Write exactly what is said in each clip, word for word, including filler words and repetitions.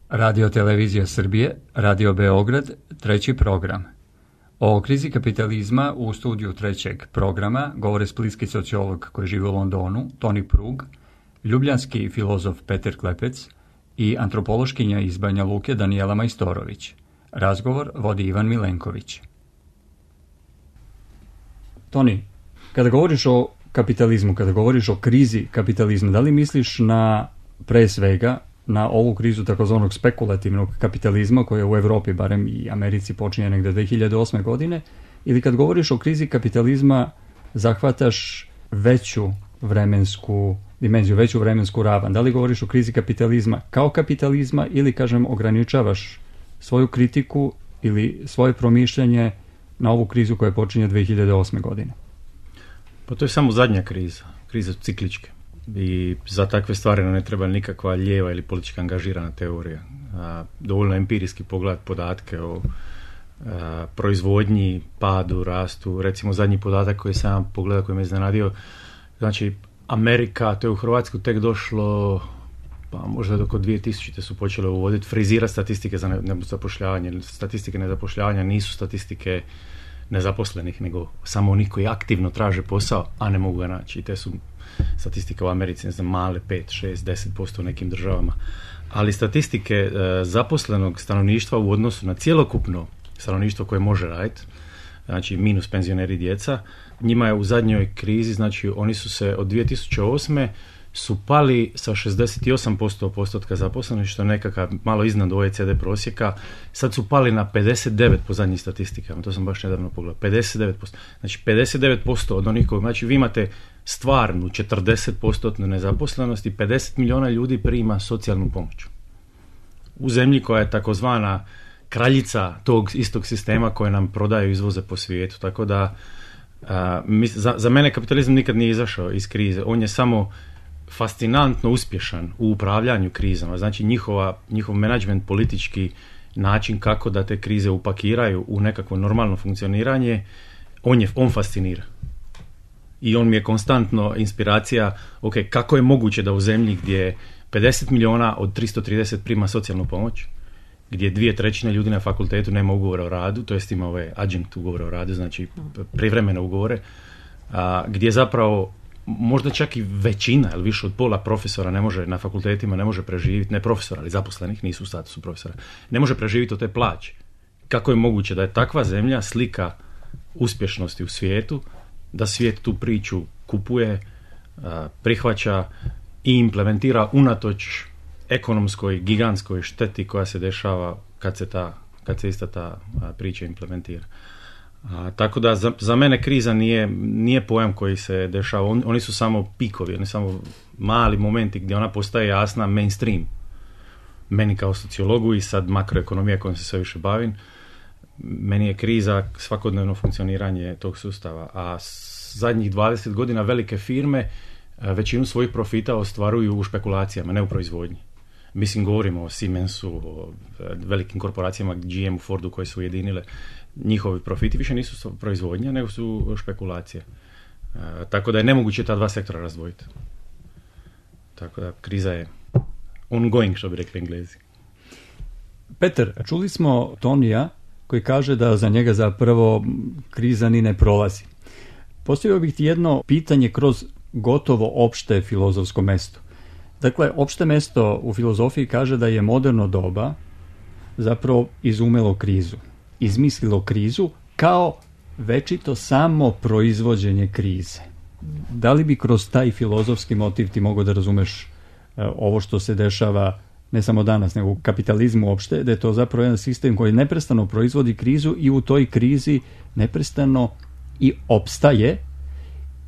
Radio Televizija Srbije, Radio Beograd, treći program. O krizi kapitalizma u studiju trećeg programa govore splitski sociolog koji živi u Londonu, Toni Prug, ljubljanski filozof Petar Klepec i antropološkinja iz Banja Luke Danijela Majstorović. Razgovor vodi Ivan Milenković. Toni, kada govoriš o kapitalizmu, kada govoriš o krizi kapitalizma, da li misliš na, pre svega, na ovu krizu takozvanog spekulativnog kapitalizma koja u Evropi, barem i Americi, počinje negde dve hiljade osme godine, ili kad govoriš o krizi kapitalizma zahvataš veću vremensku dimenziju, veću vremensku ravan? Da li govoriš o krizi kapitalizma kao kapitalizma ili, kažem, ograničavaš svoju kritiku ili svoje promišljanje na ovu krizu koja počinje dve hiljade osme godine? Pa to je samo zadnja kriza, kriza cikličke. I za takve stvari ne treba nikakva lijeva ili politička angažirana teorija. A, dovoljno empirijski pogledati podatke o a, proizvodnji, padu, rastu. Recimo zadnji podatak koji sam pogledao, koji me iznenadio, znači Amerika, to je u Hrvatsku tek došlo, pa možda oko dvije tisućite su počele uvoditi, frizirati statistike za nezapošljavanje. Statistike nezapošljavanja nisu statistike nezaposlenih, nego samo onih koji aktivno traže posao, a ne mogu ga naći. I te su statistike u Americi, ne znam, male, pet, šest, deset posto u nekim državama. Ali statistike e, zaposlenog stanovništva u odnosu na cjelokupno stanovništvo koje može raditi, znači minus penzioneri i djeca, njima je u zadnjoj krizi, znači oni su se od dvije tisuće osme su pali sa šezdeset osam posto postotka zaposlenih, što je nekakav malo iznad O E C D prosjeka, sad su pali na pedeset devet po zadnjim statistikama, to sam baš nedavno pogledao, pedeset devet posto. Znači pedeset devet posto od onih koji, znači vi imate stvarnu četrdeset posto nezaposlenost i pedeset milijuna ljudi prima socijalnu pomoć. U zemlji koja je takozvana kraljica tog istog sistema koje nam prodaju izvoze po svijetu, tako da a, mi, za, za mene kapitalizam nikad nije izašao iz krize, on je samo fascinantno uspješan u upravljanju krizama, znači njihova, njihov menadžment, politički način kako da te krize upakiraju u nekakvo normalno funkcioniranje, on, je, on fascinira. I on mi je konstantno inspiracija, ok, kako je moguće da u zemlji gdje pedeset milijuna od tristo trideset prima socijalnu pomoć, gdje dvije trećine ljudi na fakultetu nema ugovora o radu, to jest ima ove adjunkt ugovore o radu, znači privremene ugovore, a, gdje zapravo možda čak i većina ili više od pola profesora ne može na fakultetima ne može preživjeti, ne profesora, ali zaposlenih, nisu u statusu profesora, ne može preživjeti od te plaće. Kako je moguće da je takva zemlja slika uspješnosti u svijetu, da svijet tu priču kupuje, prihvaća i implementira unatoč ekonomskoj, gigantskoj šteti koja se dešava kad se, ta, kad se ista ta priča implementira. A, tako da za, za mene kriza nije, nije pojam koji se dešava, On, oni su samo pikovi, oni su samo mali momenti gdje ona postaje jasna mainstream. Meni kao sociologu i sad makroekonomija kojom se sve više bavim, meni je kriza svakodnevno funkcioniranje tog sustava, a zadnjih dvadeset godina velike firme većinu svojih profita ostvaruju u špekulacijama, ne u proizvodnji. Mislim, govorimo o Siemensu, o velikim korporacijama G M, Fordu koje su ujedinile. Njihovi profiti više nisu proizvodnja, nego su špekulacije. E, tako da je nemoguće ta dva sektora razdvojiti. Tako da kriza je ongoing, što bi rekli Englezi. Petar, čuli smo Tonija koji kaže da za njega zapravo kriza ni ne prolazi. Postavio bih ti jedno pitanje kroz gotovo opšte filozofsko mesto. Dakle, opšte mesto u filozofiji kaže da je moderno doba zapravo izumelo krizu. Izmislilo krizu kao večito samo proizvođenje krize. Da li bi kroz taj filozofski motiv ti mogao da razumeš uh, ovo što se dešava ne samo danas, nego u kapitalizmu uopšte, da je to zapravo jedan sistem koji neprestano proizvodi krizu i u toj krizi neprestano i opstaje,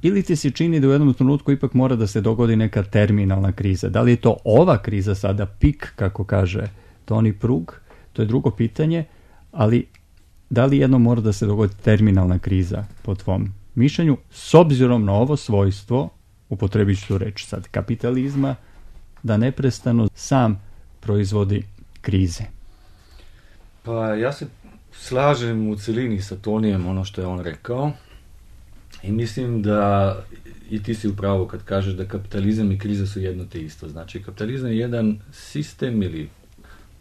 ili ti se čini da u jednom trenutku ipak mora da se dogodi neka terminalna kriza? Da li je to ova kriza sada pik, kako kaže Toni Prug? To je drugo pitanje, ali da li jedno mora da se dogodi terminalna kriza po tvom mišljenju, s obzirom na ovo svojstvo, upotrebit ću tu reč sad, kapitalizma, da neprestano sam proizvodi krize? Pa ja se slažem u celini sa Tonijem ono što je on rekao i mislim da i ti si u pravu kad kažeš da kapitalizam i kriza su jedno te isto. Znači kapitalizam je jedan sistem ili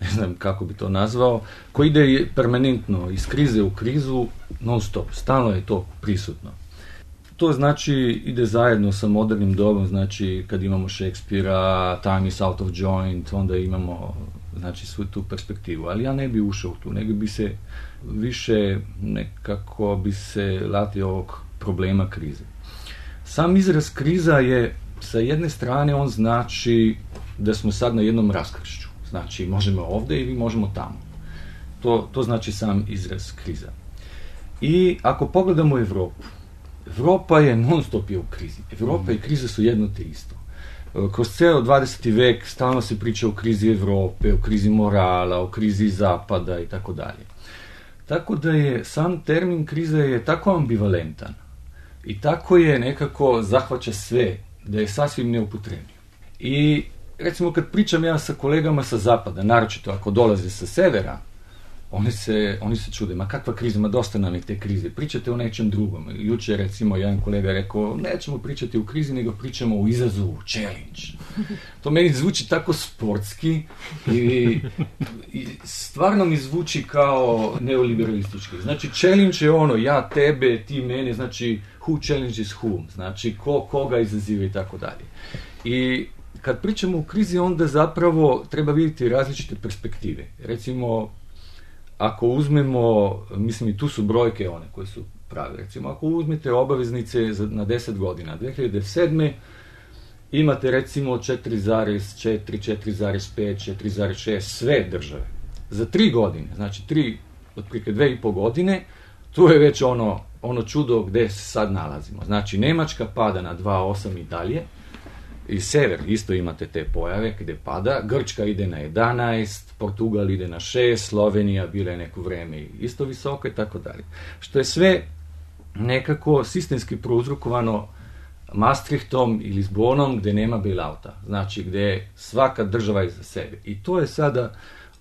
ne znam kako bi to nazvao, koji ide permanentno iz krize u krizu, non stop, stalno je to prisutno. To znači ide zajedno sa modernim dobom, znači kad imamo Shakespearea, Time is out of joint, onda imamo znači svu tu perspektivu, ali ja ne bi ušao tu, nego bi se više nekako bi se latio ovog problema krize. Sam izraz kriza je, sa jedne strane on znači da smo sad na jednom raskršću, znači možemo ovdje ili možemo tamo. To, to znači sam izraz kriza. I ako pogledamo Europu, Europa je non stop je u krizi. Europa i kriza su jedno te isto. Kroz ceo dvadeseti vek stalno se priča o krizi Europe, o krizi morala, o krizi zapada i tako dalje. Tako da je sam termin kriza je tako ambivalentan i tako je nekako zahvaća sve, da je sasvim neupotrebljiv. I recimo kad pričam ja sa kolegama sa zapada, naročito ako dolaze sa severa, Oni se, oni se čude, ma kakva kriza, ma dosta nam je te krize, pričate o nečem drugom. Juče recimo jedan kolega rekao, nećemo pričati o krizi, nego pričamo o izazovu, challenge. To meni zvuči tako sportski i, i stvarno mi zvuči kao neoliberalistički. Znači challenge je ono, ja, tebe, ti, mene, znači who challenges whom, znači ko koga izaziva i tako dalje. I kad pričamo o krizi, onda zapravo treba vidjeti različite perspektive. Recimo, ako uzmemo, mislim i tu su brojke one koje su prave, recimo ako uzmete obaveznice za, na deset godina, dve hiljade sedme imate recimo četiri zarez četiri, četiri zarez pet, četiri zarez šest sve države. Za tri godine, znači tri, otprilike dve i po godine, tu je već ono, ono čudo gde se sad nalazimo. Znači Nemačka pada na dva zarez osam i dalje, i sever isto imate te pojave gde pada, Grčka ide na jedanaest, Portugal ide na šest, Slovenija bila je neko vreme isto visoka i tako dalje. Što je sve nekako sistemski prouzrokovano Maastrichtom i Lisbonom gde nema bailouta, znači gde svaka država je za sebe. I to je sada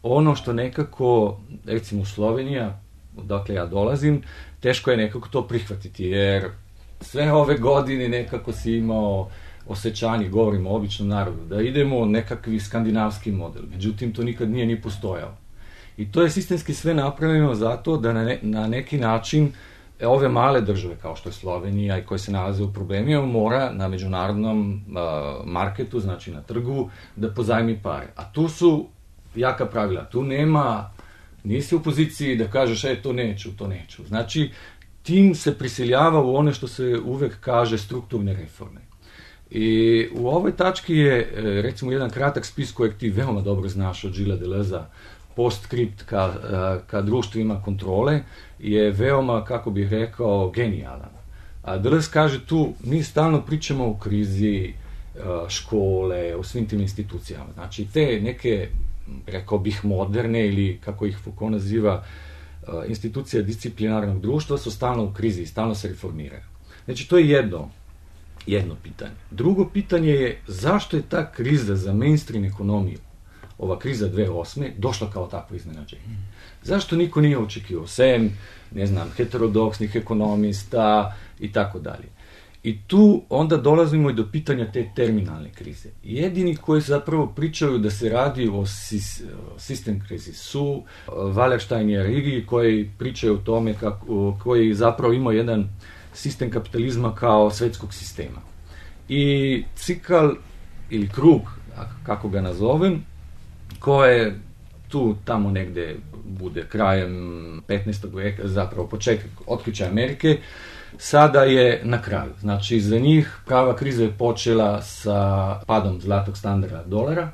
ono što nekako, recimo Slovenija, odakle ja dolazim, teško je nekako to prihvatiti, jer sve ove godine nekako si imao osjećanje, govorimo o običnom narodu, da idemo nekakvi skandinavski model. Međutim, to nikad nije ni postojao. I to je sistemski sve napravljeno zato da na, ne, na neki način ove male države, kao što je Slovenija i koje se nalaze u problemima, mora na međunarodnom uh, marketu, znači na trgu, da pozajmi pare. A tu su jaka pravila. Tu nema, nisi u poziciji da kažeš, e, to neću, to neću. Znači, tim se prisiljava u one što se uvek kaže strukturne reforme. I u ovoj tački je, recimo, jedan kratak spis kojeg ti veoma dobro znaš od Gilles Deleuza, postscript ka, ka društvu ima kontrole, je veoma, kako bih rekao, genijalan. A Deleuze kaže tu, mi stalno pričamo o krizi škole, o svim tim institucijama. Znači, te neke, rekao bih, moderne ili, kako ih Foucault naziva, institucije disciplinarnog društva su stalno u krizi, stalno se reformiraju. Znači, to je jedno. Jedno pitanje. Drugo pitanje je zašto je ta kriza za mainstream ekonomiju, ova kriza dve hiljade osme, došla kao takvo iznenađenje. Zašto niko nije očekivao, sem, ne znam, heterodoksnih ekonomista i tako dalje. I tu onda dolazimo i do pitanja te terminalne krize. Jedini koji zapravo pričaju da se radi o sistem krizi su Wallerstein i Arrighi, koji pričaju o tome kako, koji zapravo ima jedan sistem kapitalizma kao svetskog sistema. I cikl ili krug, kako ga nazovem, koje tu tamo negde bude krajem petnaestog veka, zapravo početak otkrića Amerike, sada je na kraju. Znači, za njih prava kriza je počela sa padom zlatog standarda dolara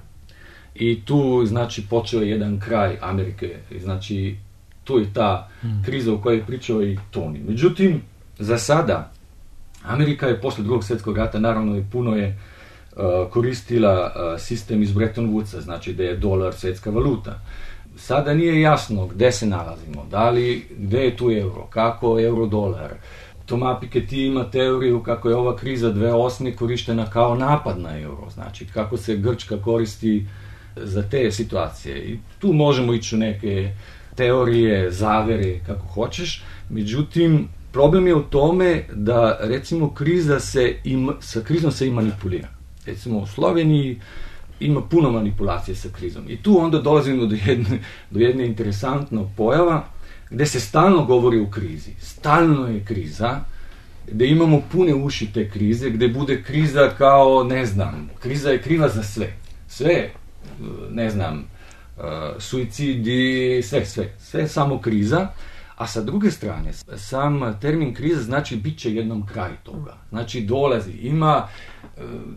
i tu, znači, počeo je jedan kraj Amerike. Znači, tu je ta kriza o kojoj je pričao i Tony. Međutim, za sada, Amerika je posle drugog svjetskog rata, naravno i puno je uh, koristila uh, sistem iz Bretton Woodsa, znači da je dolar svjetska valuta. Sada nije jasno gde se nalazimo, da li, gde je tu euro, kako euro-dolar. Thomas Piketty ima teoriju kako je ova kriza dve hiljade osme korištena kao napad na euro, znači kako se Grčka koristi za te situacije. I tu možemo ići u neke teorije, zavere, kako hoćeš, međutim, problem je u tome da, recimo, kriza se im, sa krizom se i manipulira. Recimo, u Sloveniji ima puno manipulacije sa krizom. I tu onda dolazimo do jedne, do jedne interesantnog pojava gdje se stalno govori o krizi. Stalno je kriza, gdje imamo pune uši te krize, gdje bude kriza kao, ne znam, kriza je kriva za sve. Sve, ne znam, suicidi, sve, sve. Sve je samo kriza. A sa druge strane, sam termin kriza znači bit će jednom kraj toga. Znači dolazi, ima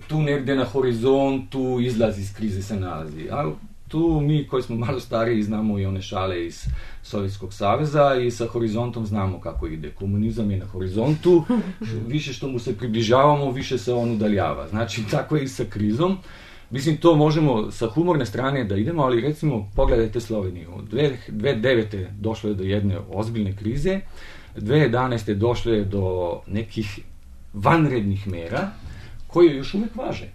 tu negdje na horizontu, izlaz iz krize se nalazi. A tu mi koji smo malo stariji znamo i one šale iz Sovjetskog saveza i sa horizontom znamo kako ide. Komunizam je na horizontu, više što mu se približavamo, više se on udaljava. Znači tako je i sa krizom. Mislim, to možemo sa humorne strane da idemo, ali recimo pogledajte Sloveniju. dvije tisuće devete došlo je do jedne ozbiljne krize, dvije tisuće jedanaeste došlo je do nekih vanrednih mera koje još uvijek važe.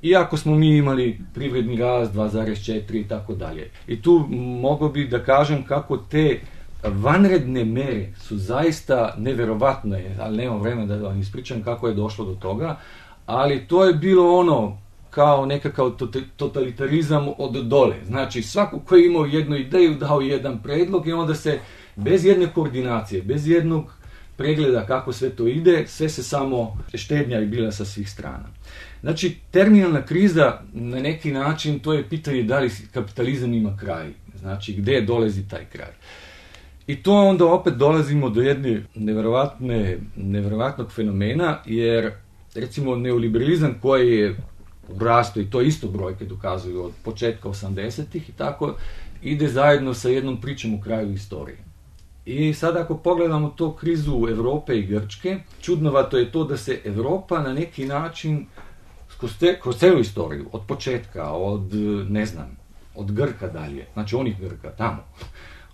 Iako smo mi imali privredni rast dva zarez četiri i tako dalje. I tu mogu bi da kažem kako te vanredne mere su zaista neverovatne, ali nemam vremena da vam ispričam kako je došlo do toga, ali to je bilo ono kao nekakav totalitarizam od dole. Znači, svako koji je imao jednu ideju dao jedan predlog i onda se bez jedne koordinacije, bez jednog pregleda kako sve to ide, sve se samo štednja je bila sa svih strana. Znači, terminalna kriza na neki način to je pitanje da li kapitalizam ima kraj. Znači, gdje dolazi taj kraj. I to onda opet dolazimo do jedne nevjerovatne, nevjerovatnog fenomena, jer recimo neoliberalizam koji je u rastu, i to isto brojke dokazuju od početka osamdesetih i tako, ide zajedno sa jednom pričom u kraju istorije. I sad ako pogledamo to krizu Europe i Grčke, čudnovato je to da se Europa na neki način kroz, te, kroz celu istoriju, od početka, od, ne znam, od Grka dalje, znači onih Grka tamo,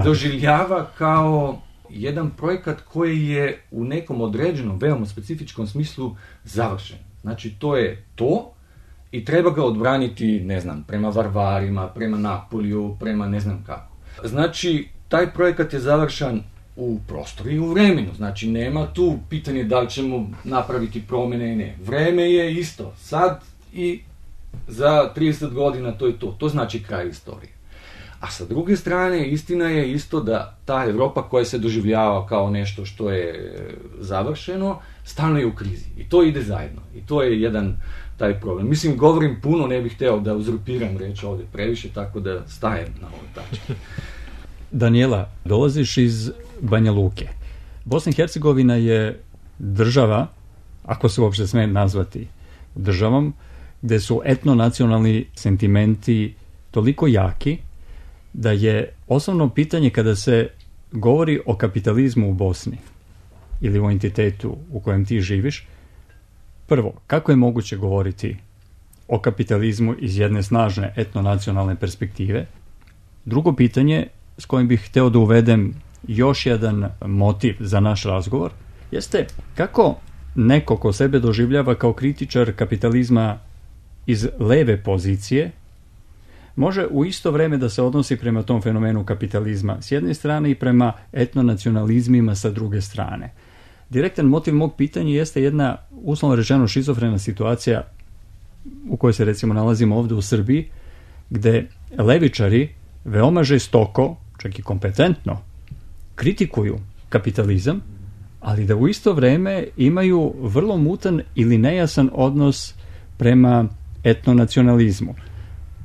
doživljava kao jedan projekat koji je u nekom određenom, veoma specifičkom smislu završen. Znači to je to, i treba ga odbraniti, ne znam, prema Varvarima, prema Napoliju, prema ne znam kako. Znači, taj projekat je završan u prostoru i u vremenu. Znači, nema tu pitanje da li ćemo napraviti promjene i ne. Vreme je isto. Sad i za trideset godina to je to. To znači kraj istorije. A sa druge strane, istina je isto da ta Europa koja se doživljava kao nešto što je završeno, stalno je u krizi. I to ide zajedno. I to je jedan taj problem. Mislim, govorim puno, ne bih hteo da uzurpiram reč ovdje previše, tako da stajem na ovoj tački. Daniela, dolaziš iz Banja Luke. Bosna i Hercegovina je država, ako se uopšte sme nazvati državom, gde su etnonacionalni sentimenti toliko jaki da je osnovno pitanje kada se govori o kapitalizmu u Bosni ili o entitetu u kojem ti živiš, prvo, kako je moguće govoriti o kapitalizmu iz jedne snažne etnonacionalne perspektive? Drugo pitanje, s kojim bih hteo da uvedem još jedan motiv za naš razgovor, jeste kako neko ko sebe doživljava kao kritičar kapitalizma iz leve pozicije može u isto vreme da se odnosi prema tom fenomenu kapitalizma s jedne strane i prema etnonacionalizmima sa druge strane. Direktan motiv mog pitanja jeste jedna, uslovno rečeno, šizofrena situacija u kojoj se recimo nalazimo ovdje u Srbiji, gde levičari veoma žestoko, čak i kompetentno, kritikuju kapitalizam, ali da u isto vreme imaju vrlo mutan ili nejasan odnos prema etnonacionalizmu.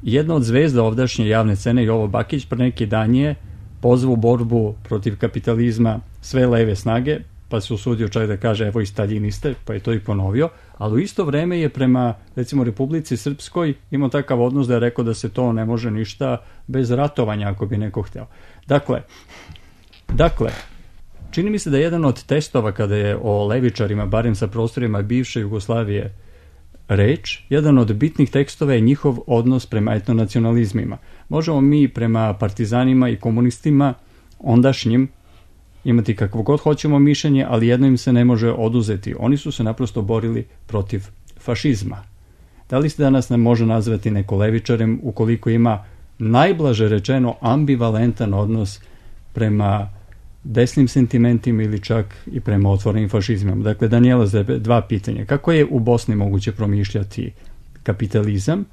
Jedna od zvezda ovdašnje javne scene, Jovo Bakić, pre neki dan je pozvao borbu protiv kapitalizma sve leve snage, pa se usudio čak da kaže evo i staljiniste, pa je to i ponovio, ali u isto vreme je prema, recimo, Republici Srpskoj imao takav odnos da je rekao da se to ne može ništa bez ratovanja, ako bi neko hteo. Dakle, dakle, čini mi se da je jedan od testova kada je o levičarima, barem sa prostorima bivše Jugoslavije, reč, jedan od bitnih tekstova je njihov odnos prema etnonacionalizmima. Možemo mi prema partizanima i komunistima ondašnjim imati kakvo god hoćemo mišljenje, ali jedno im se ne može oduzeti. Oni su se naprosto borili protiv fašizma. Da li se danas ne može nazvati neko levičarem ukoliko ima najblaže rečeno ambivalentan odnos prema desnim sentimentima ili čak i prema otvorenim fašizmom? Dakle, Daniela, dva pitanja. Kako je u Bosni moguće promišljati kapitalizam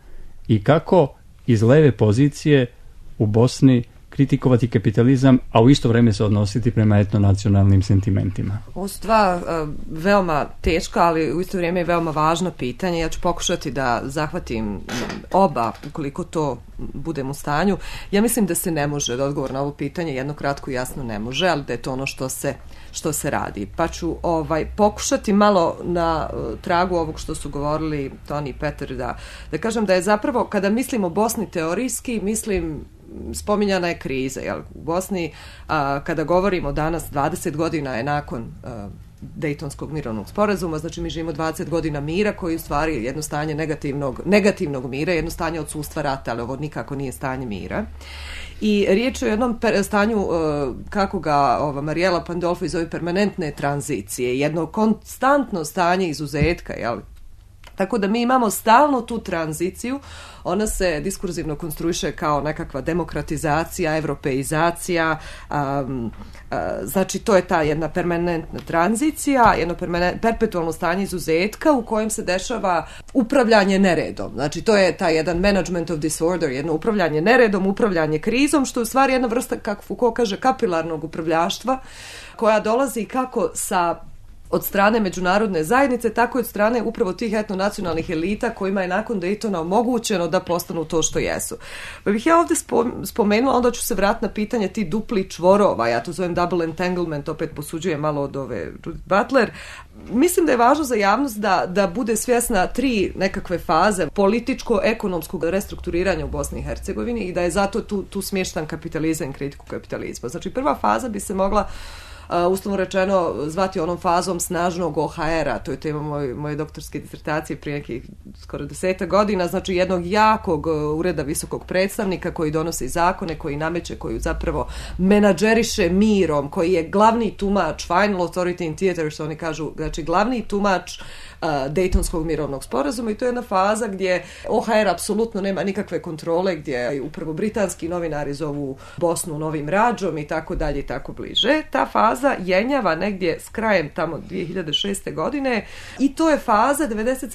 i kako iz leve pozicije u Bosni kritikovati kapitalizam, a u isto vrijeme se odnositi prema etnonacionalnim sentimentima? Ovo su dva uh, veoma teška, ali u isto vrijeme i veoma važna pitanja. Ja ću pokušati da zahvatim oba, ukoliko to budem u stanju. Ja mislim da se ne može, da odgovor na ovo pitanje jedno kratko i jasno ne može, ali da je to ono što se, što se radi. Pa ću ovaj, pokušati malo na uh, tragu ovog što su govorili Toni i Petar, da, da kažem da je zapravo, kada mislim o Bosni teorijski, mislim spominjana je kriza. Jel? U Bosni, a, kada govorimo danas, dvadeset godina je nakon a, Dejtonskog mirovnog sporazuma, znači mi živimo dvadeset godina mira, koji je u stvari jedno stanje negativnog, negativnog mira, jedno stanje odsustva rata, ali ovo nikako nije stanje mira. I riječ je o jednom per, stanju, uh, kako ga ova Mariela Pandolfi zove, permanentne tranzicije, jedno konstantno stanje izuzetka, jel? Tako da mi imamo stalno tu tranziciju, ona se diskurzivno konstruiše kao nekakva demokratizacija, evropeizacija, um, uh, znači to je ta jedna permanentna tranzicija, jedno permanent, perpetualno stanje izuzetka u kojem se dešava upravljanje neredom. Znači to je taj jedan management of disorder, jedno upravljanje neredom, upravljanje krizom, što je u stvari jedna vrsta, kako Foucault kaže, kapilarnog upravljaštva, koja dolazi kako sa od strane međunarodne zajednice, tako i od strane upravo tih etnonacionalnih elita kojima je nakon Daytona omogućeno da postanu to što jesu. Pa bih ja ovdje spomenula, onda ću se vratiti na pitanje ti dupli čvorova, ja to zovem double entanglement, opet posuđujem malo od ove Judith Butler. Mislim da je važno za javnost da, da bude svjesna tri nekakve faze političko-ekonomskog restrukturiranja u Bosni i Hercegovini i da je zato tu, tu smještan kapitalizam i kritiku kapitalizma. Znači prva faza bi se mogla Uh, uslovno rečeno zvati onom fazom snažnog O H R-a, to je tema moj, moje doktorske disertacije prije nekih skoro deseta godina, znači jednog jakog uh, ureda visokog predstavnika koji donosi zakone, koji nameće, koji zapravo menadžeriše mirom, koji je glavni tumač, final authority in theater, što oni kažu, znači glavni tumač uh, Dejtonskog mirovnog sporazuma, i to je jedna faza gdje O H R apsolutno nema nikakve kontrole, gdje upravo britanski novinari zovu Bosnu novim rađom i tako dalje i tako bliže. Ta faza jenjava negdje s krajem tamo dvije hiljade šeste godine i to je faza devedeset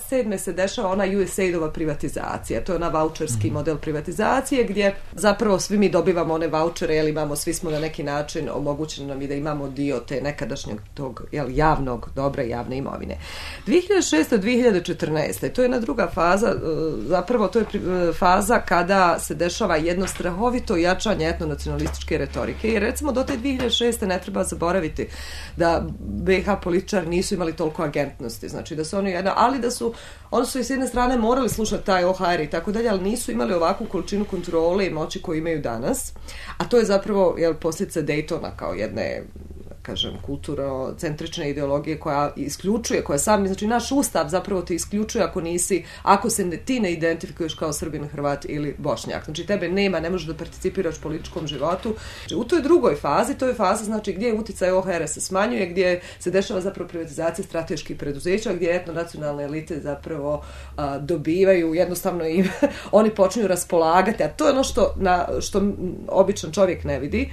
sedme se dešava ona U S A I D-ova privatizacija. To je ona voucherski model privatizacije gdje zapravo svi mi dobivamo one vouchere, jel imamo, svi smo na neki način omogućeno nam i da imamo dio te nekadašnjeg tog jel, javnog, dobre javne imovine. dvije hiljade šeste do dvije hiljade četrnaeste to je jedna druga faza, zapravo to je faza kada se dešava jedno strahovito jačanje etnonacionalističke retorike i recimo do te dvije hiljade šeste ne treba zaboraviti da B iH političari nisu imali toliko agentnosti, znači da su oni jedna, ali da su, oni su i s jedne strane morali slušati taj O H R i tako dalje, ali nisu imali ovakvu količinu kontrole i moći koju imaju danas, a to je zapravo jel, posljedica Daytona kao jedne kažem, kulturno-centrične ideologije koja isključuje, koja sam, znači naš ustav zapravo te isključuje ako nisi, ako se ne, ti ne identifikuješ kao Srbin, Hrvat ili Bošnjak. Znači tebe nema, ne možeš da participiraš u političkom životu. Znači, u toj drugoj fazi, to je faza znači gdje uticaj O H R se smanjuje, gdje se dešava zapravo privatizacija strateških preduzeća, gdje etnonacionalne elite zapravo a, dobivaju, jednostavno im oni počinju raspolagati, a to je ono što, na, što običan čovjek ne vidi.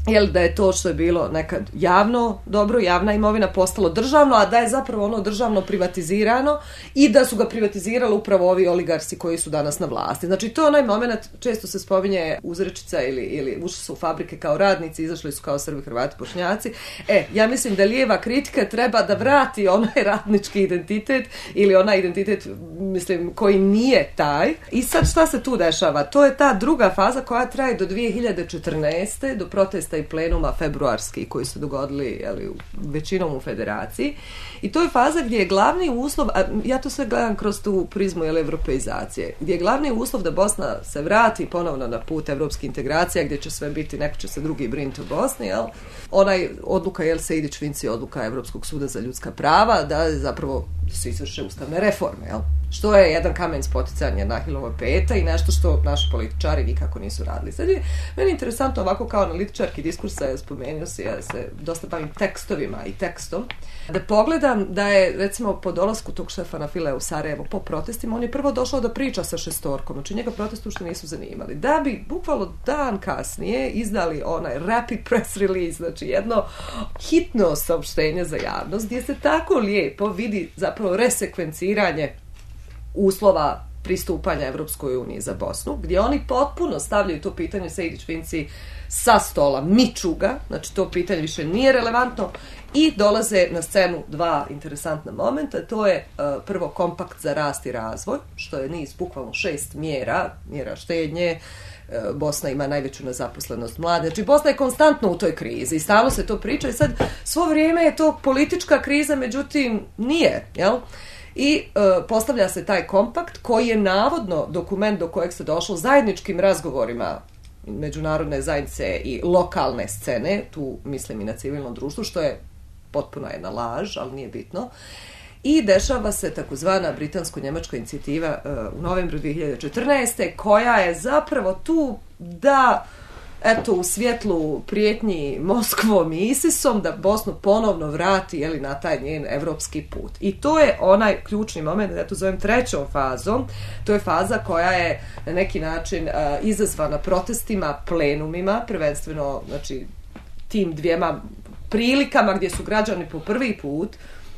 Jel da je to što je bilo nekad javno dobro, javna imovina postalo državno, a da je zapravo ono državno privatizirano i da su ga privatizirali upravo ovi oligarsi koji su danas na vlasti. Znači to je onaj moment, često se spominje uzrečica ili, ili ušli su u fabrike kao radnici, izašli su kao Srbi, Hrvati, Bošnjaci. E, ja mislim da lijeva kritika treba da vrati onaj radnički identitet ili onaj identitet, mislim, koji nije taj. I sad šta se tu dešava? To je ta druga faza koja traje do dvije hiljade četrnaeste do protesta i plenuma februarski koji su dogodili jeli, većinom u federaciji. I to je faza gdje je glavni uslov, a ja to sve gledam kroz tu prizmu jeli, evropeizacije, gdje je glavni uslov da Bosna se vrati ponovno na put evropske integracije, gdje će sve biti, neko će se drugi brinuti o Bosni, jel? Onaj odluka, jel, Sejdić-Vinci, odluka Evropskog suda za ljudska prava, da zapravo se izvrše ustavne reforme, jel? Što je jedan kamen spoticanja na Ahilova peta i nešto što naši političari nikako nisu radili. Sad je meni interesantno ovako kao analitičarki diskursa, ja spomenuo se, ja se dosta bavim tekstovima i tekstom, da pogledam da je recimo po dolasku tog Štefana File u Sarajevo po protestima, on je prvo došao da priča sa šestorkom, znači njega protesti uopšte nisu zanimali. Da bi bukvalno dan kasnije izdali onaj rapid press release, znači jedno hitno saopštenje za javnost, gdje se tako lijepo vidi zapravo resekvenciranje uslova pristupanja Evropskoj uniji za Bosnu, gdje oni potpuno stavljaju to pitanje Sejdić-Finci sa stola, miču ga, znači to pitanje više nije relevantno i dolaze na scenu dva interesantna momenta, to je uh, prvo kompakt za rast i razvoj, što je niz bukvalno šest mjera, mjera štednje, uh, Bosna ima najveću nezaposlenost mlade, znači Bosna je konstantno u toj krizi i stalno se to priča i sad svo vrijeme je to politička kriza, međutim nije, jel? I uh, postavlja se taj kompakt koji je navodno dokument do kojeg se došlo zajedničkim razgovorima međunarodne zajednice i lokalne scene, tu mislim i na civilno društvo, što je potpuno jedna laž, ali nije bitno. I dešava se takozvana britansko-njemačka inicijativa uh, u novembru dvije hiljade četrnaeste koja je zapravo tu da eto, u svjetlu prijetnji Moskvom i ISISom da Bosnu ponovno vrati jeli, na taj njen evropski put. I to je onaj ključni moment, ja to zovem trećom fazom, to je faza koja je na neki način uh, izazvana protestima, plenumima, prvenstveno znači, tim dvijema prilikama gdje su građani po prvi put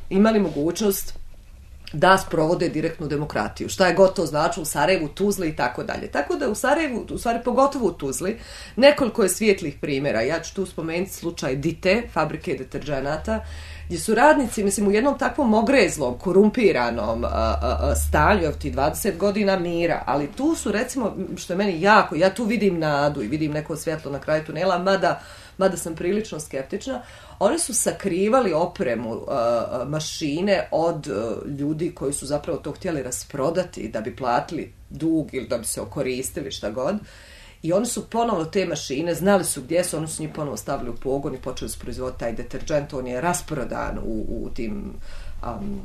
imali mogućnost da sprovode direktnu demokratiju. Šta je gotovo znači u Sarajevu, Tuzli i tako dalje. Tako da u Sarajevu, u stvari pogotovo u Tuzli, nekoliko je svijetlih primjera. Ja ću tu spomenuti slučaj Dite, fabrike deterđenata, gdje su radnici, mislim, u jednom takvom ogrezlom, korumpiranom a, a, a, stanju, evo ti dvadeset godina mira, ali tu su, recimo, što je meni jako, ja tu vidim nadu i vidim neko svjetlo na kraju tunela, mada, mada sam prilično skeptična, oni su sakrivali opremu, uh, mašine od uh, ljudi koji su zapravo to htjeli rasprodati da bi platili dug ili da bi se okoristili, šta god. I oni su ponovno te mašine, znali su gdje su, oni su njih ponovo stavili u pogon i počeli su proizvoditi taj deterđent, on je rasprodan u, u tim um,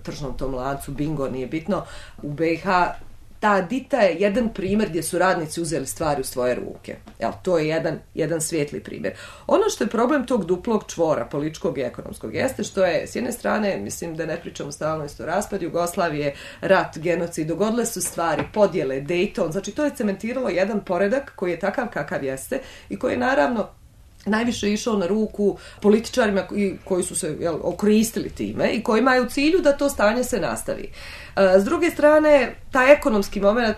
tržnom tom lancu, bingo, nije bitno, u B i H. Ta Dita je jedan primjer gdje su radnici uzeli stvari u svoje ruke. Jel, to je jedan, jedan svijetli primjer. Ono što je problem tog duplog čvora, političkog i ekonomskog, jeste što je, s jedne strane, mislim da ne pričamo stalno isto raspad Jugoslavije, rat, genocid, dogodile su stvari, podjele, Dayton, znači to je cementiralo jedan poredak koji je takav kakav jeste i koji je naravno najviše išao na ruku političarima koji, koji su se jel, okoristili time i koji imaju u cilju da to stanje se nastavi. S druge strane, taj ekonomski moment,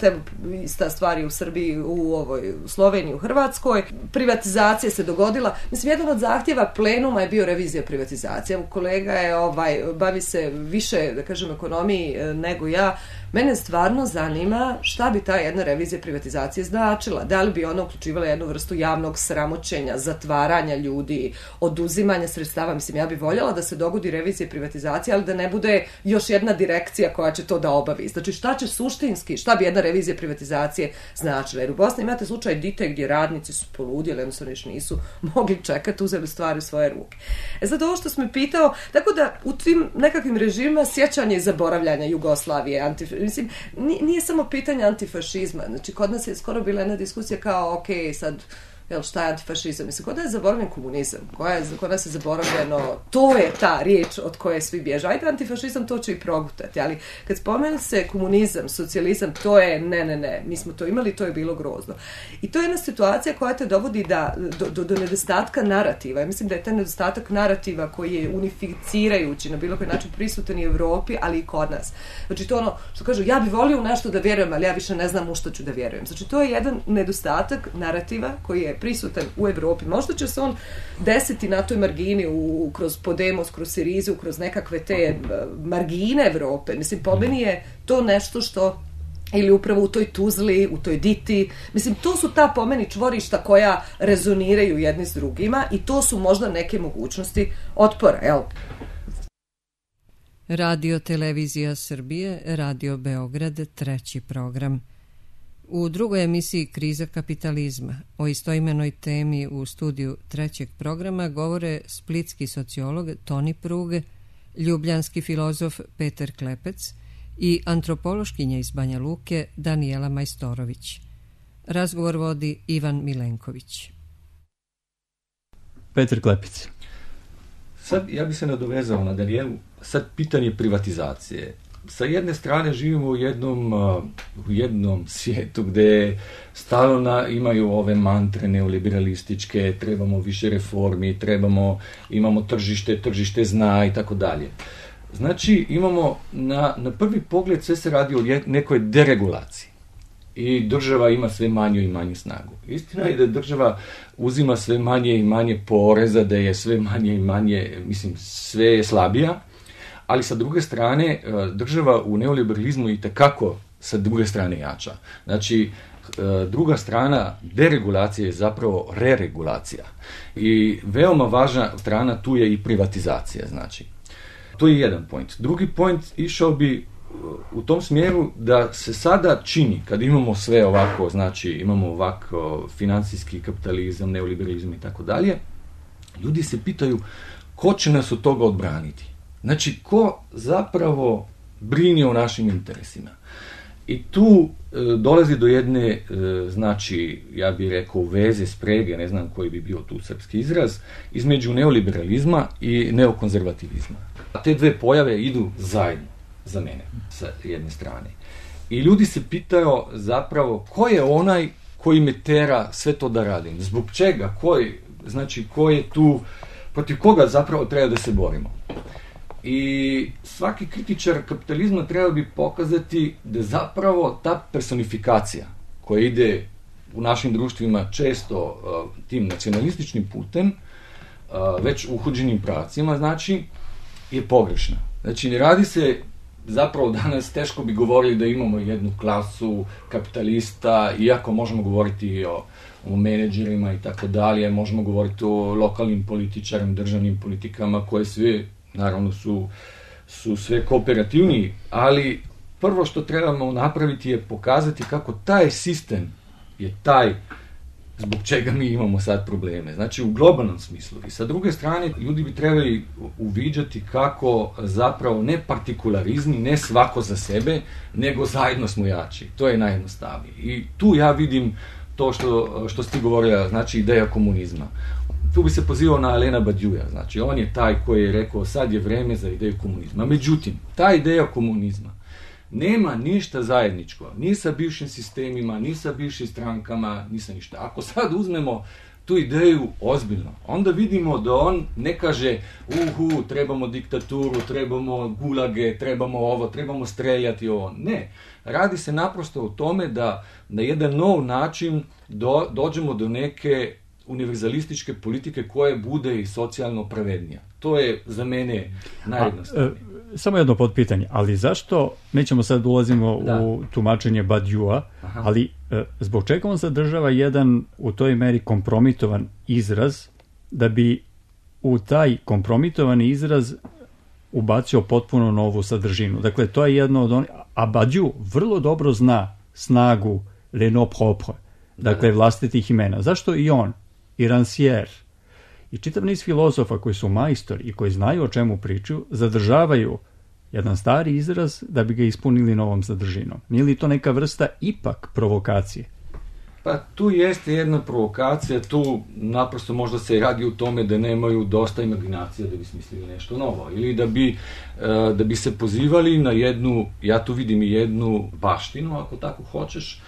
ista stvar je u Srbiji, u, ovoj, u Sloveniji, u Hrvatskoj, privatizacija se dogodila. Mislim, jedan od zahtjeva plenuma je bio revizija privatizacije. Kolega je, ovaj, bavi se više, da kažem, ekonomiji nego ja. Mene stvarno zanima šta bi ta jedna revizija privatizacije značila. Da li bi ona uključivala jednu vrstu javnog sramoćenja, zatvaranja ljudi, oduzimanja sredstava. Mislim, ja bih voljela da se dogodi revizija privatizacije, ali da ne bude još jedna direkcija koja će to da obavi. Znači, šta će suštinski, šta bi jedna revizija privatizacije značila? Jer u Bosni imate slučaj Dite gdje radnici su poludjeli, jednostavno još nisu mogli čekati, uzeli stvari u svoje ruke. E sad ovo što smo me pitao, tako da u tim nekakvim režimima sjećanje i zaboravljanja Jugoslavije, antif... mislim, nije samo pitanje antifašizma. Znači, kod nas je skoro bila jedna diskusija kao, ok, sad, jel, šta je antifašizam? Mislim, kod nas je zaboravljen komunizam, koja je, kod nas je zaboravljeno, to je ta riječ od koje svi bježe. Ajde, antifašizam, to će i progutati, ali kad spomenu se komunizam, socijalizam, to je, ne, ne, ne, mi smo to imali, to je bilo grozno. I to je jedna situacija koja te dovodi da, do, do, do nedostatka narativa. Ja mislim da je taj nedostatak narativa koji je unificirajući na bilo koji način prisutan i u Evropi, ali i kod nas. Znači, to ono, što kažu, ja bi volio u nešto da vjerujem, ali ja više ne znam u što ću da vjerujem. Znači, to je jedan nedostatak narativa koji je prisutan u Evropi. Možda će se on desiti na toj margini u, kroz Podemos, kroz Sirizu, kroz nekakve te margine Evrope. Mislim, po meni je to nešto što ili upravo u toj Tuzli, u toj Diti. Mislim, to su ta po meni čvorišta koja rezoniraju jedni s drugima i to su možda neke mogućnosti otpora, jel? Radio Televizija Srbije, Radio Beograd, treći program. U drugoj emisiji Kriza kapitalizma o istoimenoj temi u studiju trećeg programa govore splitski sociolog Toni Pruge, ljubljanski filozof Petar Klepec i antropološkinja iz Banja Luke Danijela Majstorović. Razgovor vodi Ivan Milenković. Petar Klepec. Sad ja bih se nadovezao na Danijelu. Sad pitanje privatizacije. Sa jedne strane živimo u jednom, u jednom svijetu gdje stalno imaju ove mantre neoliberalističke, trebamo više reformi, trebamo, imamo tržište, tržište zna i tako dalje. Znači imamo na, na prvi pogled sve se radi o nekoj deregulaciji i država ima sve manju i manju snagu. Istina je da država uzima sve manje i manje poreza, da je sve manje i manje, mislim, sve je slabija, ali sa druge strane država u neoliberalizmu itekako sa druge strane jača. Znači, druga strana deregulacije je zapravo reregulacija. I veoma važna strana tu je i privatizacija, znači. To je jedan point. Drugi point išao bi u tom smjeru da se sada čini, kad imamo sve ovako, znači imamo ovako financijski kapitalizam, neoliberalizam i tako dalje, ljudi se pitaju ko će nas od toga odbraniti. Znači, ko zapravo brine o našim interesima. I tu e, dolazi do jedne, e, znači, ja bih rekao, veze, sprege, ne znam koji bi bio tu srpski izraz, između neoliberalizma i neokonzervativizma. A te dve pojave idu zajedno, za mene, sa jedne strane. I ljudi se pitaju zapravo ko je onaj koji me tera sve to da radim. Zbog čega? Koji, znači, ko je tu, protiv koga zapravo treba da se borimo. I svaki kritičar kapitalizma treba bi pokazati da zapravo ta personifikacija koja ide u našim društvima često uh, tim nacionalističnim putem, uh, već uhođenim pravcima, znači, je pogrešna. Znači, ne radi se zapravo danas, teško bi govorili da imamo jednu klasu kapitalista, iako možemo govoriti o, o menadžerima i tako dalje, možemo govoriti o lokalnim političarima, državnim politikama koje sve naravno su, su sve kooperativniji, ali prvo što trebamo napraviti je pokazati kako taj sistem je taj zbog čega mi imamo sad probleme. Znači u globalnom smislu. I sa druge strane, ljudi bi trebali uviđati kako zapravo ne partikularizmi, ne svako za sebe, nego zajedno smo jači. To je najjednostavnije. I tu ja vidim to što, što si ti govorila, znači ideja komunizma. Tu bi se pozivao na Alaina Badiouja, znači on je taj koji je rekao sad je vreme za ideju komunizma. Međutim, ta ideja komunizma nema ništa zajedničko, ni sa bivšim sistemima, ni sa bivšim strankama, ni sa ništa. Ako sad uzmemo tu ideju ozbiljno, onda vidimo da on ne kaže uhu, trebamo diktaturu, trebamo gulage, trebamo ovo, trebamo streljati ovo. Ne, radi se naprosto o tome da na jedan nov način do, dođemo do neke univerzalističke politike koje bude i socijalno pravednija. To je za mene najjednostavnije. Samo jedno podpitanje, ali zašto, nećemo sad ulazimo da. u tumačenje Badiouja, ali e, zbog čega on sadržava jedan u toj meri kompromitovan izraz da bi u taj kompromitovani izraz ubacio potpuno novu sadržinu. Dakle, to je jedno od onih, a Badiou vrlo dobro zna snagu les noms propres, dakle, vlastitih imena. Zašto i on, i Rancière, i čitav niz filozofa koji su majstori i koji znaju o čemu pričaju, zadržavaju jedan stari izraz da bi ga ispunili novom sadržinom. Nije li to neka vrsta ipak provokacije? Pa tu jeste jedna provokacija, tu naprosto možda se radi u tome da nemaju dosta imaginacije da bi smislili nešto novo. Ili da bi, da bi se pozivali na jednu, ja tu vidim i jednu baštinu, ako tako hoćeš,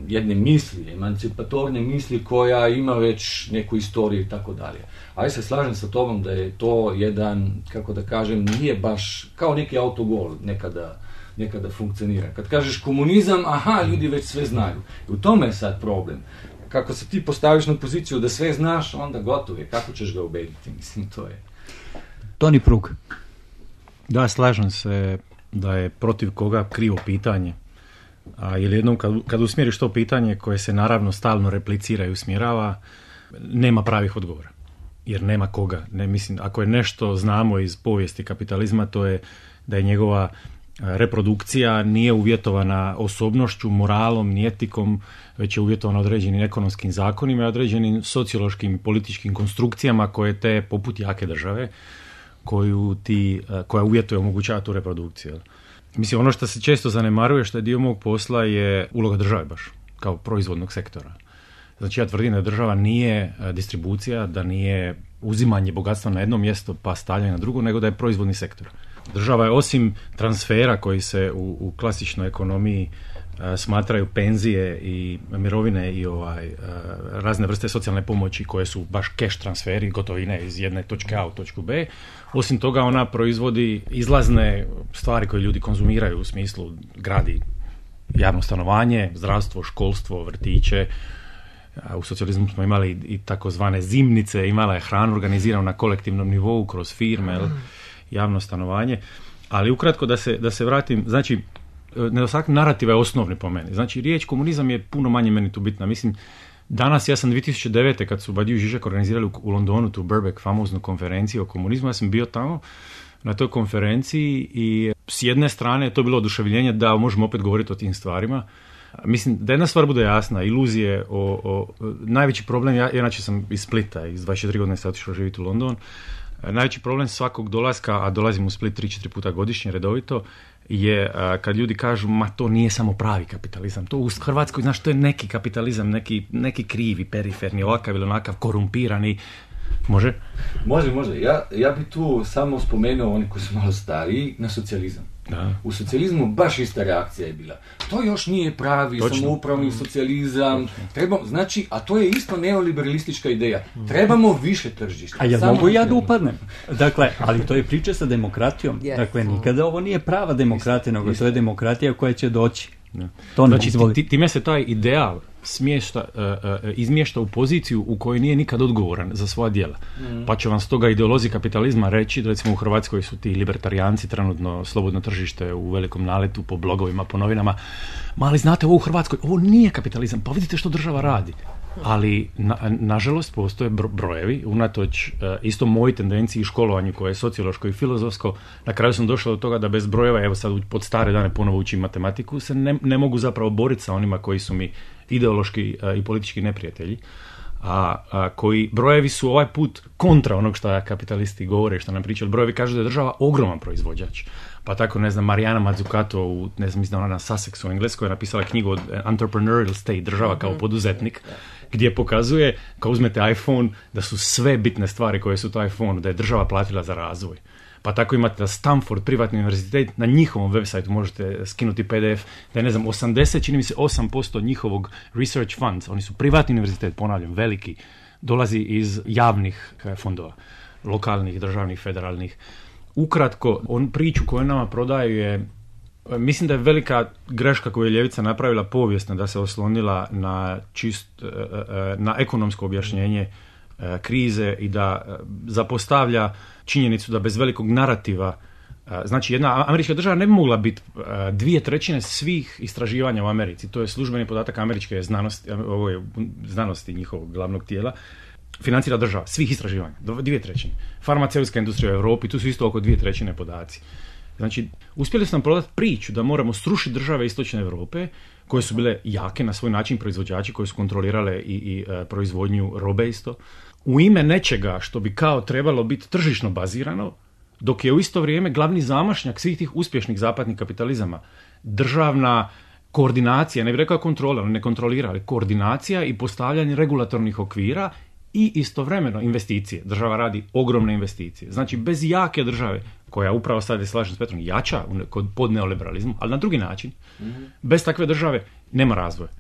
jedne misli, emancipatorne misli koja ima već neku istoriju i tako dalje. Ali se slažem sa tobom da je to jedan, kako da kažem, nije baš kao neki autogol nekada, nekada funkcionira. Kad kažeš komunizam, aha, ljudi već sve znaju. I u tome je sad problem. Kako se ti postaviš na poziciju da sve znaš, onda gotovo je. Kako ćeš ga ubediti? Mislim, to je... Toni Prug. Da, slažem se da je protiv koga krivo pitanje. A ili jednom kad, kad usmjeriš to pitanje koje se naravno stalno replicira i usmjerava, nema pravih odgovora. Jer nema koga. Ne, mislim, ako je nešto znamo iz povijesti kapitalizma, to je da je njegova reprodukcija nije uvjetovana osobnošću, moralom, ni etikom, već je uvjetovana određenim ekonomskim zakonima i određenim sociološkim i političkim konstrukcijama koje te, poput jake države, koju ti, koja uvjetuje omogućava tu reprodukciju. Mislim, ono što se često zanemaruje, što je dio mog posla, je uloga države baš, kao proizvodnog sektora. Znači, ja tvrdim da država nije distribucija, da nije uzimanje bogatstva na jedno mjesto pa stavljanje na drugo, nego da je proizvodni sektor. Država je osim transfera koji se u, u klasičnoj ekonomiji smatraju penzije i mirovine i ovaj, razne vrste socijalne pomoći koje su baš cash transferi, gotovine iz jedne točke A u točku B. Osim toga ona proizvodi izlazne stvari koje ljudi konzumiraju u smislu gradi javno stanovanje, zdravstvo, školstvo, vrtiće. U socijalizmu smo imali i takozvane zimnice, imala je hranu organiziranu na kolektivnom nivou kroz firme, javno stanovanje. Ali ukratko da se, da se vratim, znači nedostatak narativa je osnovni po meni. Znači, riječ komunizam je puno manje meni tu bitna. Mislim, danas ja sam dvije tisuće devete kad su Badiou i Žižek organizirali u, u Londonu tu Birkbeck famoznu konferenciju o komunizmu, ja sam bio tamo na toj konferenciji i s jedne strane je to bilo oduševljenje da možemo opet govoriti o tim stvarima. Mislim, da jedna stvar bude jasna, iluzije o, o najveći problem, ja inače sam iz Splita, iz dvadeset četiri godine sam otišao živjeti u London. Najveći problem svakog dolaska, a dolazim u Split tri četiri puta godišnje redovito, je a, kad ljudi kažu, ma to nije samo pravi kapitalizam, to u Hrvatskoj, znaš, to je neki kapitalizam, neki, neki krivi, periferni, ovakav ili onakav, korumpirani. Može? Može, može. Ja, ja bi tu samo spomenuo oni koji su malo stariji na socijalizam. Da. U socijalizmu baš ista reakcija je bila. To još nije pravi Točno. samoupravni socijalizam. Treba, znači, a to je isto neoliberalistička ideja. Trebamo više tržišta. A ja mogu ja da upadnem? Dakle, ali to je priča sa demokratijom. Yes. Dakle, nikada ovo nije prava demokratija, nego isto. To je demokratija koja će doći. Da. To znači, ti, time se taj ideal smješta, uh, uh, izmješta u poziciju u kojoj nije nikad odgovoran za svoja djela. Mm. Pa će vam stoga ideolozi kapitalizma reći da recimo u Hrvatskoj su ti libertarijanci trenutno slobodno tržište u velikom naletu po blogovima, po novinama. Ma ali znate, ovo u Hrvatskoj, ovo nije kapitalizam, pa vidite što država radi. Ali, na, nažalost, postoje brojevi, unatoč uh, isto moji tendenciji i školovanju koje je sociološko i filozofsko, na kraju sam došao do toga da bez brojeva, evo sad pod stare dane ponovo učim matematiku, se ne, ne mogu zapravo boriti sa onima koji su mi ideološki uh, i politički neprijatelji, a, a koji brojevi su ovaj put kontra onog što kapitalisti govore, što nam pričaju. Brojevi kažu da je država ogroman proizvođač. Pa tako, ne znam, Marijana Mazzucato, u, ne znam, mislim da ona na Sussexu u Engleskoj je napisala knjigu od Entrepreneurial State, država kao poduzetnik, gdje pokazuje, kao uzmete iPhone, da su sve bitne stvari koje su to iPhone, da je država platila za razvoj. Pa tako imate da Stanford, privatni univerzitet, na njihovom web sajtu možete skinuti P D F, da je, ne znam, osamdeset, čini mi se osam posto njihovog research funds, oni su privatni univerzitet, ponavljam, veliki, dolazi iz javnih fondova, lokalnih, državnih, federalnih. Ukratko, on priču koju nama prodaju je, mislim da je velika greška koju je ljevica napravila povijesna, da se oslonila na čist, na ekonomsko objašnjenje krize i da zapostavlja činjenicu da bez velikog narativa, znači jedna američka država ne bi mogla biti dvije trećine svih istraživanja u Americi, to je službeni podatak američke znanosti, ovo je znanosti njihovog glavnog tijela, financira država, svih istraživanja, dvije trećine. Farmaceutska industrija u Europi, tu su isto oko dvije trećine podaci. Znači, uspjeli su nam prodati priču da moramo srušiti države istočne Europe, koje su bile jake na svoj način proizvođači, koje su kontrolirale i, i e, proizvodnju robe isto, u ime nečega što bi kao trebalo biti tržišno bazirano, dok je u isto vrijeme glavni zamašnjak svih tih uspješnih zapadnih kapitalizama državna koordinacija, ne bih rekao kontrola, ne kontrolira, ali koordinacija i postavljanje regulatornih okvira i istovremeno investicije. Država radi ogromne investicije. Znači, bez jake države, koja upravo sad je, slažem s Petrom, jača kod pod neoliberalizmu, ali na drugi način, mm-hmm. bez takve države nema razvoja.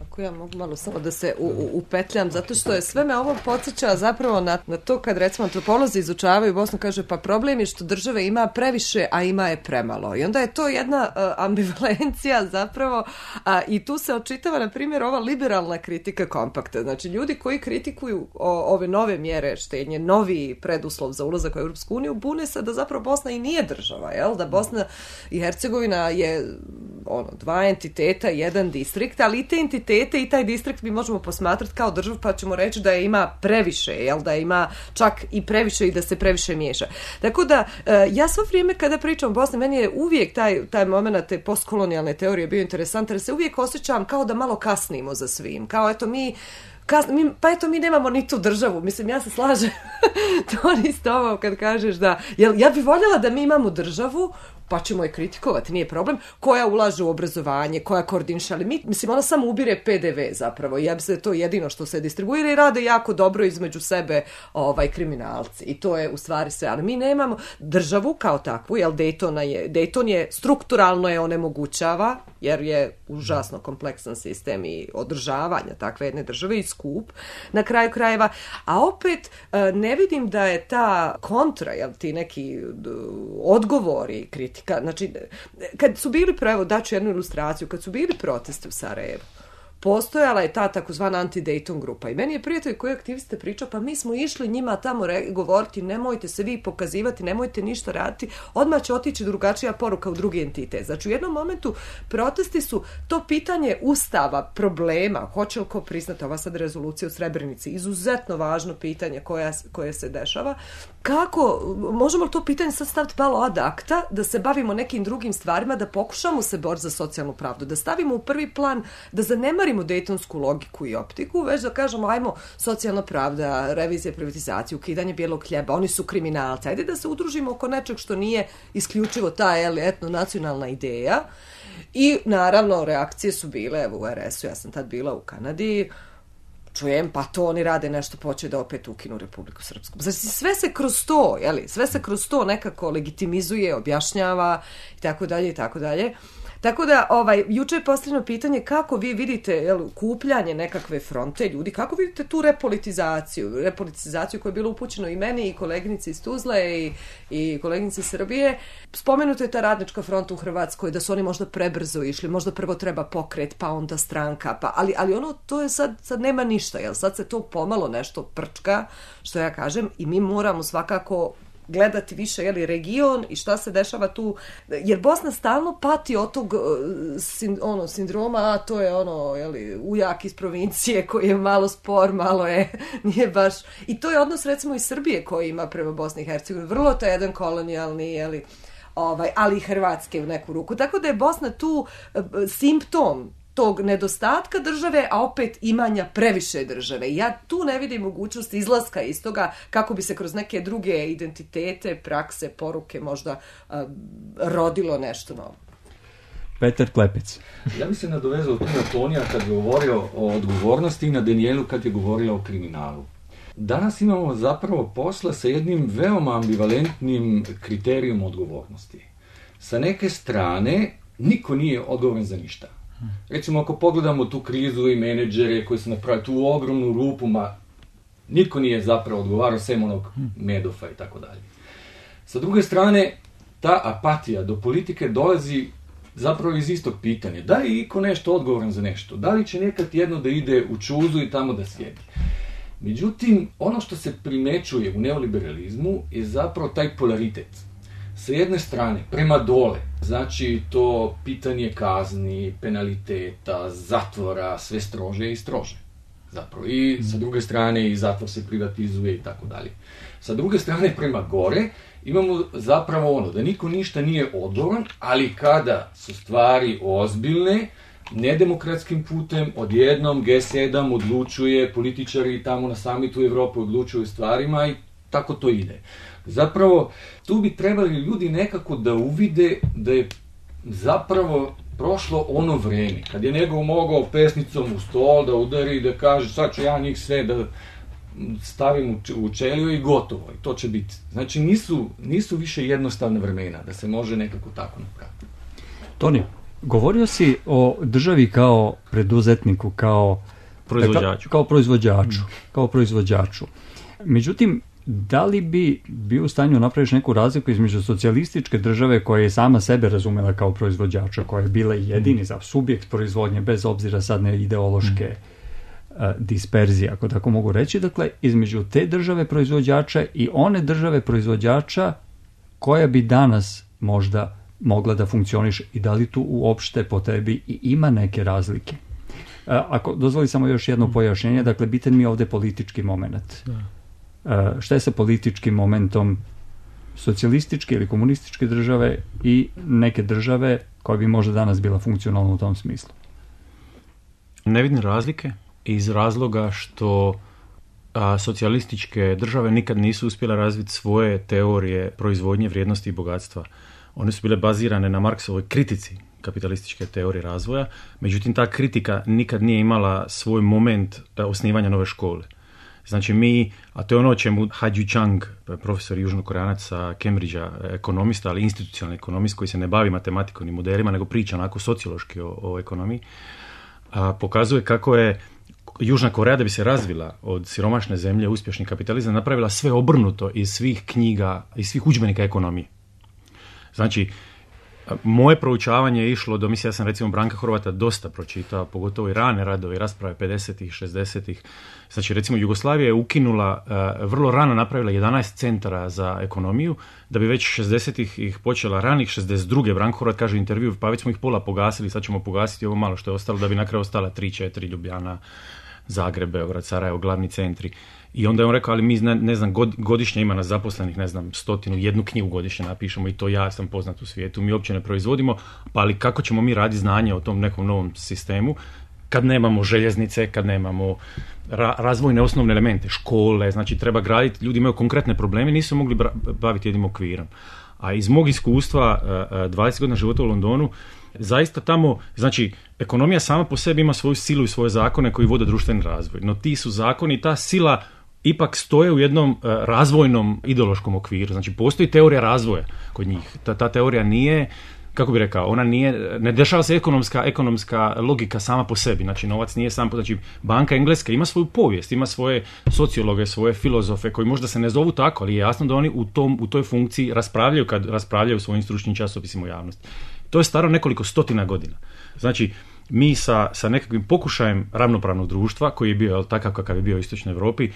Ako ja mogu malo samo da se u, u, upetljam, zato što je sve me ovo podsjeća zapravo na, na to kad recimo antropolozi izučavaju Bosnu, kaže pa problem je što države ima previše, a ima je premalo. I onda je to jedna uh, ambivalencija zapravo, a, i tu se očitava na primjer ova liberalna kritika kompakta. Znači ljudi koji kritikuju o, ove nove mjere štednje, novi preduslov za ulazak u Europsku uniju, bune se da zapravo Bosna i nije država, jel? Da Bosna i Hercegovina je ono, dva entiteta, jedan distrikt, ali i te entitete i taj distrikt mi možemo posmatrati kao državu, pa ćemo reći da je ima previše, jel, da ima čak i previše i da se previše miješa. Tako da, ja svo vrijeme kada pričam o Bosni, meni je uvijek taj, taj moment te postkolonijalne teorije bio interesantan, jer se uvijek osjećam kao da malo kasnimo za svim. Kao, eto, mi Kas, mi, pa eto, mi nemamo ni tu državu. Mislim, ja se slažem to ni s tobom kad kažeš da... Jel, ja bih voljela da mi imamo državu, pa ćemo je kritikovati, nije problem, koja ulaže u obrazovanje, koja koordiniše, ali mi, mislim, ona samo ubire P D V zapravo. Ja mislim da je to jedino što se distribuira i rade jako dobro između sebe ovaj, kriminalci. I to je u stvari sve. Ali mi nemamo državu kao takvu, jel Daytona je, Dayton je strukturalno je onemogućava, jer je užasno kompleksan sistem i održavanja takve jedne države i skup na kraju krajeva, a opet ne vidim da je ta kontra, jel, ti neki odgovori, kritika, znači kad su bili, evo daću jednu ilustraciju, kad su bili protesti u Sarajevu, postojala je ta takozvana anti-Dayton grupa i meni je prijatelj koji aktiviste pričao, pa mi smo išli njima tamo re- govoriti, nemojte se vi pokazivati, nemojte ništa raditi, odmah će otići drugačija poruka u drugi entitet. Znači u jednom momentu protesti su to pitanje ustava, problema, hoće li ko priznati ova sad rezolucija u Srebrenici, izuzetno važno pitanje koja, koje se dešava. Kako, možemo li to pitanje sad staviti malo ad acta, da se bavimo nekim drugim stvarima, da pokušamo se boriti za socijalnu pravdu, da stavimo u prvi plan, da zanemarimo dejtonsku logiku i optiku, već da kažemo, ajmo, socijalna pravda, revizija privatizacije, ukidanje bijelog hljeba, oni su kriminalci, ajde da se udružimo oko nečeg što nije isključivo ta etno-nacionalna ideja. I naravno reakcije su bile, evo u er es u, ja sam tad bila u Kanadi, čujem, pa to oni rade nešto, poće da opet ukinu Republiku Srpsku. Znači, sve se kroz to, jeli, sve se kroz to nekako legitimizuje, objašnjava i tako dalje i tako dalje. Tako da, ovaj, juče je postavljeno pitanje kako vi vidite, jel, kupljanje nekakve fronte ljudi, kako vidite tu repolitizaciju, repolitizaciju koja je bila upućena i meni i koleginici iz Tuzle i, i koleginici iz Srbije. Spomenuto je ta radnička fronta u Hrvatskoj, da su oni možda prebrzo išli, možda prvo treba pokret, pa onda stranka, pa, ali, ali ono, to je sad, sad nema ništa, jel, sad se to pomalo nešto prčka, što ja kažem, i mi moramo svakako gledati više, jeli, region i šta se dešava tu, jer Bosna stalno pati od tog sin, ono, sindroma, a to je ono, jeli, ujak iz provincije koji je malo spor, malo je, nije baš, i to je odnos recimo i Srbije koji ima prema Bosni i Hercegovini, vrlo to je jedan kolonijalni, jeli, ovaj, ali i Hrvatske u neku ruku, tako da je Bosna tu simptom tog nedostatka države, a opet imanja previše države. Ja tu ne vidim mogućnost izlaska iz toga kako bi se kroz neke druge identitete, prakse, poruke možda uh, rodilo nešto novo. Petar Klepec. Ja bih se nadovezao tu na Tonija kad je govorio o odgovornosti i na Danijelu kad je govorila o kriminalu. Danas imamo zapravo posla sa jednim veoma ambivalentnim kriterijom odgovornosti. Sa neke strane, niko nije odgovoran za ništa. Recimo, ako pogledamo tu krizu i menadžere koji su napravili tu ogromnu rupu, ma niko nije zapravo odgovarao, sem onog Medofa i tako dalje. Sa druge strane, ta apatija do politike dolazi zapravo iz istog pitanja. Da li je iko nešto odgovoran za nešto? Da li će nekad jedno da ide u čuzu i tamo da sjedi? Međutim, ono što se primećuje u neoliberalizmu je zapravo taj polaritet. Sa jedne strane, prema dole, znači to pitanje kazni, penaliteta, zatvora, sve strože i strože. Zapravo. I sa druge strane i zatvor se privatizuje i tako dalje. Sa druge strane, prema gore, imamo zapravo ono, da niko ništa nije odgovoran, ali kada su stvari ozbiljne, nedemokratskim putem, odjednom G sedam odlučuje, političari tamo na samitu Evrope odlučuju stvarima i tako to ide. Zapravo, tu bi trebali ljudi nekako da uvide da je zapravo prošlo ono vreme, kad je nego mogao pesnicom u stol da udari i da kaže sad ću ja njih sve da stavim u čeliju i gotovo, i to će biti. Znači, nisu, nisu više jednostavne vremena da se može nekako tako napraviti. Toni, govorio si o državi kao preduzetniku, kao proizvođaču. Kao, kao proizvođaču, kao proizvođaču. Međutim, da li bi bio u stanju napraviš neku razliku između socijalističke države koja je sama sebe razumela kao proizvođača, koja je bila jedini za subjekt proizvodnje, bez obzira sad na ideološke mm. uh, disperzije, ako tako mogu reći, dakle, između te države proizvođača i one države proizvođača koja bi danas možda mogla da funkcioniše i da li tu uopšte po tebi i ima neke razlike? Uh, ako dozvoli samo još jedno pojašnjenje, dakle, bitan mi je ovde politički moment. Da. Uh, šta je sa političkim momentom socijalističke ili komunističke države i neke države koja bi možda danas bila funkcionalna u tom smislu? Ne vidim razlike iz razloga što a, socijalističke države nikad nisu uspjela razviti svoje teorije proizvodnje, vrijednosti i bogatstva. One su bile bazirane na Marksovoj kritici kapitalističke teorije razvoja, međutim ta kritika nikad nije imala svoj moment osnivanja nove škole. Znači mi, a to je ono o čemu Ha-Ju Chang, profesor južnokoreanac sa Cambridgea, ekonomista, ali institucionalni ekonomist koji se ne bavi matematikom ni modelima, nego priča onako sociološki o, o ekonomiji, a, pokazuje kako je Južna Koreja, da bi se razvila od siromašne zemlje, uspješni kapitalizam, napravila sve obrnuto iz svih knjiga, iz svih udžbenika ekonomije. Znači, moje proučavanje je išlo do, mislim, ja sam recimo Branka Horvata dosta pročitao, pogotovo i rane radove i rasprave pedesetih, šezdesetih. Znači, recimo, Jugoslavija je ukinula, uh, vrlo rano napravila jedanaest centara za ekonomiju, da bi već šezdesetih ih počela, ranih šezdeset druge. Branko Horvat kaže u intervju, pa već smo ih pola pogasili, sad ćemo pogasiti ovo malo što je ostalo, da bi na kraju ostala tri, četiri, Ljubljana, Zagreb, Beograd, Sarajevo, glavni centri. I onda je on rekao, ali mi ne, ne znam, god, godišnje ima nas zaposlenih, ne znam, stotinu, jednu knjigu godišnje napišemo i to ja sam poznat u svijetu, mi uopće ne proizvodimo, pa ali kako ćemo mi raditi znanje o tom nekom novom sistemu kad nemamo željeznice, kad nemamo ra- razvojne osnovne elemente, škole, znači treba graditi, ljudi imaju konkretne probleme, nisu mogli bra- baviti jednim okvirom. A iz mog iskustva, dvadeset godina života u Londonu, zaista tamo, znači, ekonomija sama po sebi ima svoju silu i svoje zakone koji vode društveni razvoj, no ti su zakoni, ta sila ipak stoje u jednom uh, razvojnom ideološkom okviru. Znači, postoji teorija razvoja kod njih. Ta, ta teorija nije, kako bi rekao, ona nije, ne dešava se ekonomska, ekonomska logika sama po sebi. Znači, novac nije sam, znači, banka engleska ima svoju povijest, ima svoje sociologe, svoje filozofe koji možda se ne zovu tako, ali je jasno da oni u, tom, u toj funkciji raspravljaju kad raspravljaju svojim stručnim časopisima u javnosti. To je staro nekoliko stotina godina. Znači, mi sa, sa nekakvim pokušajem ravnopravnog društva, koji je bio takav kakav je bio u Istočnoj Europi,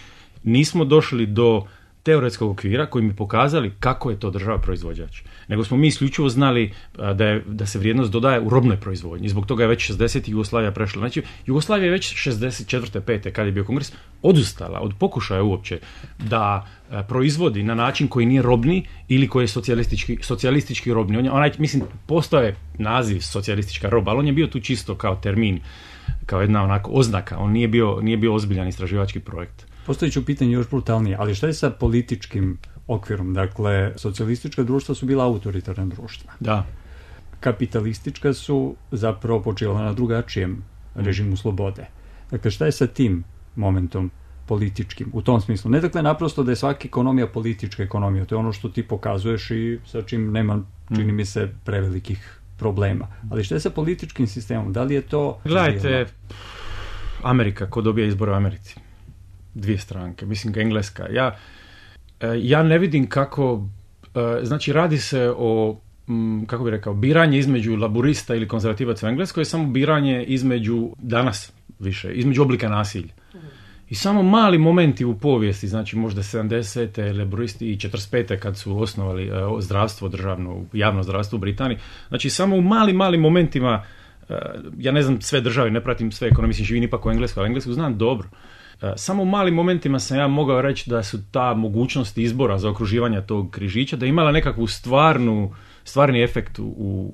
nismo došli do teoretskog okvira koji mi pokazali kako je to država proizvođač. Nego smo mi isključivo znali da, je, da se vrijednost dodaje u robnoj proizvodnji. Zbog toga je već šezdesetih Jugoslavija prešla. Znači, Jugoslavija je već šezdeset četvrte pete kad je bio kongres, odustala od pokušaja uopće da proizvodi na način koji nije robni ili koji je socijalistički, socijalistički robni. On je, onaj, mislim, postoje naziv socijalistička roba, ali on je bio tu čisto kao termin, kao jedna onako oznaka. On nije bio, nije bio ozbiljan istraživački projekt. Postoji ću pitanje još brutalnije, ali šta je sa političkim okvirom? Dakle, socijalistička društva su bila autoritarna društva. Da. Kapitalistička su zapravo počela na drugačijem režimu slobode. Dakle, šta je sa tim momentom političkim? U tom smislu. Ne dakle naprosto da je svaka ekonomija politička ekonomija. To je ono što ti pokazuješ i sa čim nema, čini mi se, prevelikih problema. Ali šta je sa političkim sistemom? Da li je to... Gledajte, Amerika, ko dobija izbore u Americi? Dvije stranke, mislim Engleska. Ja, ja ne vidim kako, znači radi se o, kako bih rekao, biranje između laburista ili konzervativaca u Engleskoj je samo biranje između, danas više, između oblika nasilja. I samo mali momenti u povijesti, znači možda sedamdesete laburisti i četrdeset pete kad su osnovali zdravstvo državno, javno zdravstvo u Britaniji, znači samo u malim, malim momentima, ja ne znam sve države, ne pratim sve ekonomije, mislim živim ipak u Englesku, ali Englesku znam dobro. Samo u malim momentima sam ja mogao reći da su ta mogućnost izbora za okruživanje tog križića, da je imala nekakvu stvarnu, stvarni efekt u,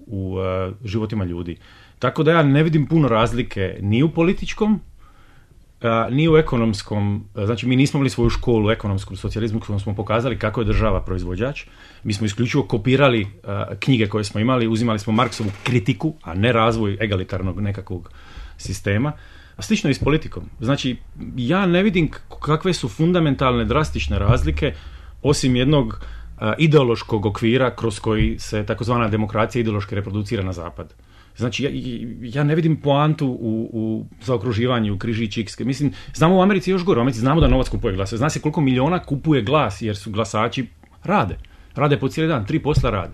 u uh, životima ljudi. Tako da ja ne vidim puno razlike ni u političkom, uh, ni u ekonomskom. Znači mi nismo imali svoju školu u ekonomskom socijalizmu kojom smo pokazali kako je država proizvođač. Mi smo isključivo kopirali uh, knjige koje smo imali, uzimali smo Marksovu kritiku, a ne razvoj egalitarnog nekakvog sistema. A slično je i s politikom. Znači, ja ne vidim kakve su fundamentalne, drastične razlike, osim jednog uh, ideološkog okvira kroz koji se takozvana demokracija ideološki reproducira na zapad. Znači, ja, ja ne vidim poantu u, u zaokruživanju, u križići X. Mislim, znamo u Americi još gore, u Americi znamo da novac kupuje glas. Zna se koliko miliona kupuje glas, jer su glasači rade. Rade po cijeli dan, tri posla rade.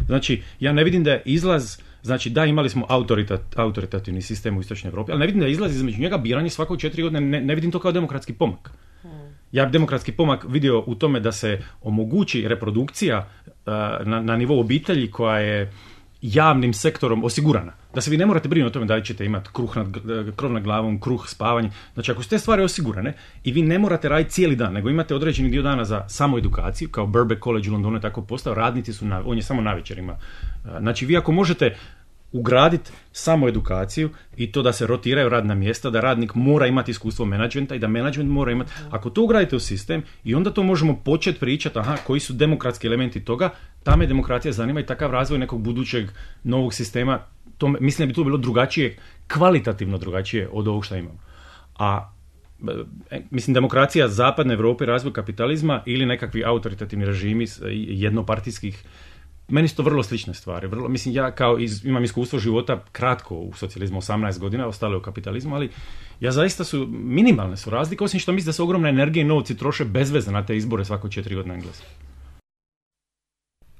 Znači, ja ne vidim da je izlaz... Znači, da, imali smo autoritat, autoritativni sistem u Istočnoj Europi, ali ne vidim da izlazi između njega biranje svako četiri godine, ne, ne vidim to kao demokratski pomak. Ja bi demokratski pomak vidio u tome da se omogući reprodukcija uh, na, na nivou obitelji koja je javnim sektorom osigurana. Da se vi ne morate brinuti o tome da li ćete imati kruh nad, krov nad glavom, kruh, spavanje. Znači, ako su te stvari osigurane i vi ne morate raditi cijeli dan, nego imate određeni dio dana za samoedukaciju, kao Birkbeck College u Londonu je tako postao, radnici su, na, on je samo na večerima. Znači, vi ako možete ugraditi samo edukaciju i to da se rotiraju radna mjesta, da radnik mora imati iskustvo menadžmenta i da menadžment mora imati. Ako to ugradite u sistem i onda to možemo početi pričati, aha, koji su demokratski elementi toga, ta me demokracija zanima i takav razvoj nekog budućeg novog sistema, to, mislim da bi to bilo drugačije, kvalitativno drugačije od ovog što imamo. A mislim, demokracija zapadne Europe, razvoj kapitalizma ili nekakvi autoritativni režimi jednopartijskih. Meni su to vrlo slične stvari. Vrlo, mislim, ja kao iz, imam iskustvo života kratko u socijalizmu, osamnaest godina, ostalo je u kapitalizmu, ali ja zaista su, minimalne su razlike, osim što mislim da se ogromna energija i novci troše bezvezno na te izbore svako četiri godine Engleske.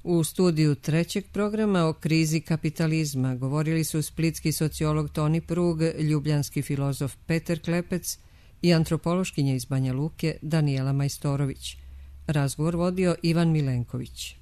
U studiju trećeg programa o krizi kapitalizma govorili su splitski sociolog Toni Prug, ljubljanski filozof Petar Klepec i antropološkinja iz Banja Luke Danijela Majstorović. Razgovor vodio Ivan Milenković.